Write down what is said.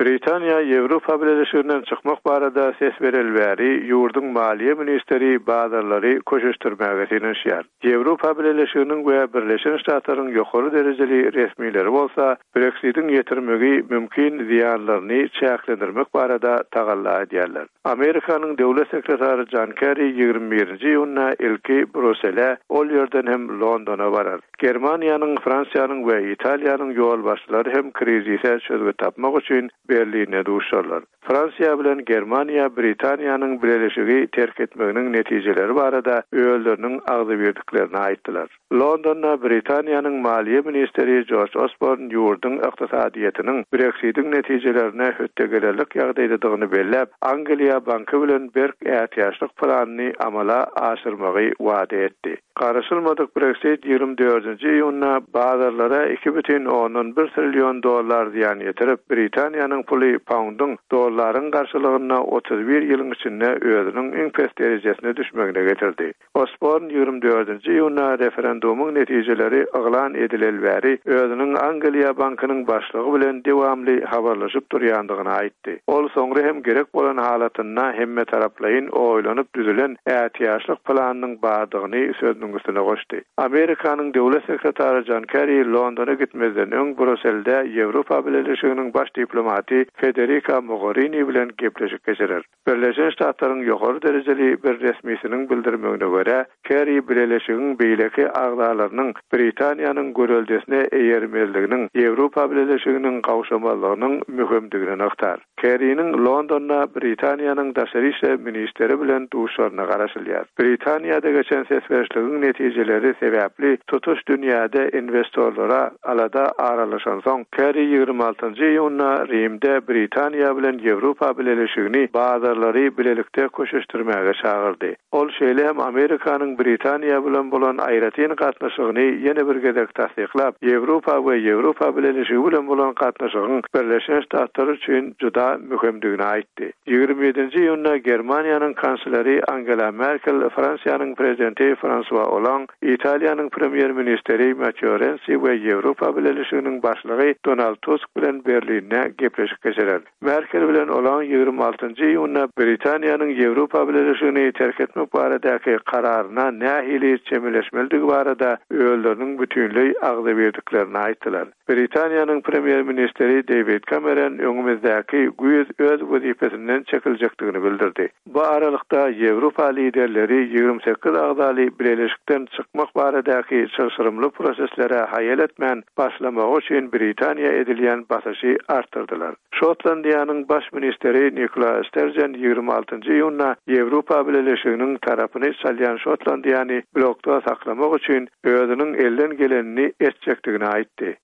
Britaniýa Ýewropa Bileleşiginden çykmak barada ses bereli bäri ýurduň maliýe ministri bazarlary köşeşdirmäge synanyşýar. Ýewropa Bileleşiginiň we Birleşen Ştatlaryň ýokary derejeli resmileri bolsa Breksitiň ýetirmegi mümkin zyýanlaryny çäklendirmek barada tagalla edýärler. Amerikanyň döwlet sekretary Jon Kerri 21-nji iýunda ilki Brusele, ol ýerden hem Londona barar. Germaniýanyň, Fransiýanyň we Italiýanyň ýolbaşçylary hem krizise çözgüt tapmak üçin Berlinde duşarlar. Fransiýa bilen Germaniýa Britaniýanyň Bileleşigi terk etmeginiň netijeleri barada özleriniň agzybirdiklerini aýtdylar. Londonda Britaniýanyň maliýe ministri Jorj Osborn ýurduň ykdysadyýetiniň Breksitiň netijelerine hötde gelerlik ýagdaýdadygyny belläp, Angliýa banky bilen berk ätiýaçlyk planyny amala aşyrmagy wada etdi. Garaşylmadyk Breksit 24-nji iýunda bazarlara 2,1 trillion dollar zyýan ýetirip, Britaniýanyň puly paundyň dollaryň garşylygynda 31 ýylyň içinde özüniň iň pes derejesine düşmegine getirdi. Osborn 24-nji iýunda referendumyň netijeleri yglan edileli bäri özüniň Angliýa bankynyň başlygy bilen dowamly habarlaşyp durýandygyny aýtdy. Ol soňra hem gerek bolan halatynda hemmetaraplaýyn oýlanyp düzülen ätiýaçlyk planynyň bardygyny sözüniň üstüne goşdy. Amerikanyň döwlet sekretary Jon Kerri Londona gitmezden öň Bruselde Ýewropa Bileleşiginiň baş diplomaty Federika Mogorini bilen gepleşik geçirer. Birleşen Ştatlaryň ýokary derejeli bir resmisiniň bildirmegine görä, Kerri bileleşigiň beýleki agzalarynyň Britaniýanyň göreldesine eýermezliginiň Ýewropa Bileleşiginiň gawşamazlygynyň möhümdigini nygtar. Kerriniň Londonda Britaniýanyň daşary işler ministri bilen duşaryna garaşylýar. Britaniýada geçen ses berişligiň netijeleri sebäpli tutuş dünýäde inwestorlara alada aralaşansoň, Kerri 26-njy iýunda Rimde Britaniýa bilen Ýewropa Bileleşigini bazarlary bilelikde köşeşdirmäge çagyrdy. Ol şeýle hem Amerikanyň Britaniýa bilen bolan aýratyn gatnaşygyny ýene bir gezek tassyklap, Ýewropa we Ýewropa Bileleşigi bilen bolan gatnaşygyň Birleşen Ştatlar üçin juda möhümdigini aýtdy. 27-nji iýunda Germaniýanyň kansleri Angela Merkel, Fransiýanyň prezidenti Fransua Oland, Italiýanyň premýer-ministri Matteo Rensi we Ýewropa Bileleşiginiň başlygy Donald Tusk bilen Berlinde gepleşik geçirer. Merkel bilen Oland 26-njy iýunda Britaniýanyň Ýewropa Bileleşigini terk etmek baradaky kararyna nähili çemeleşmelidigi barada özleriniň bütinleý agzybirdiklerini aýtdylar. Britaniýanyň premýer-ministri Deýwid Kameron öňümizdäki güýz öz wezipesinden çekiljekdigini bildirdi. Bu aralykda Ýewropa liderleri 28 agzaly bileleşikden çykmak baradaky çylşyrymly proseslere haýal etmän başlamagy üçin Britaniýa edilýän basyşy artdyrdylar. Şotlandiýanyň baş ministri Nikola Sterjen 26-njy iýunda Ýewropa Bileleşiginiň tarapyny çalýan Şotlandiýany blokda saklamak üçin özüniň elden gelenini etjekdigini aýtdy.